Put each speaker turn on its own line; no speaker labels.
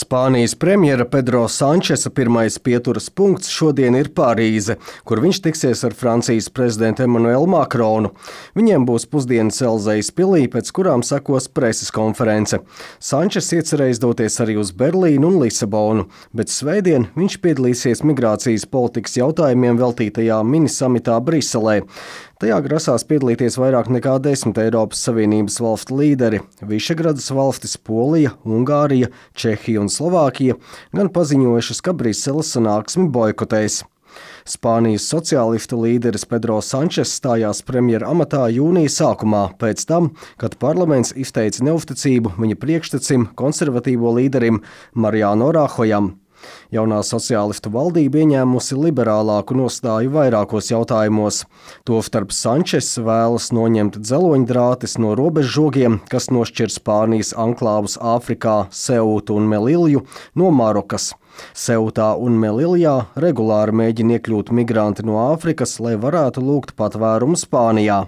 Spānijas premjera Pedro Sančesa pirmais pieturas punkts šodien ir Parīze, kur viņš tiksies ar Francijas prezidentu Emmanuelu Macronu. Viņiem būs pusdienas Elzejas pilī, pēc kurām sekos preses konference. Sančes iecerējis doties arī uz Berlīnu un Lisabonu, bet svētdien viņš piedalīsies migrācijas politikas jautājumiem veltītajā minisamitā Briselē. Tajā grasās piedalīties vairāk nekā 10 Eiropas Savienības valstu līderi. Višegradas valstis Polija, Ungārija, Čehija un Slovākija gan paziņojušas, ka Briseles sanāksmi boikotēs. Spānijas sociālistu līderis Pedro Sančes stājās premjera amatā jūnija sākumā, pēc tam, kad parlaments izteica neusticību viņa priekštecim, konservatīvo līderim Mariano Rahojam. Jaunā sociālistu valdība ieņēmusi liberālāku nostāju vairākos jautājumos. Tostarp Sančes vēlas noņemt dzeloņdrātes no robežžogiem, kas nošķir Spānijas anklāvus Āfrikā, Seutu un Melilju no Marokas. Seutā un Meliljā regulāri mēģina iekļūt migranti no Āfrikas, lai varētu lūgt patvērumu Spānijā.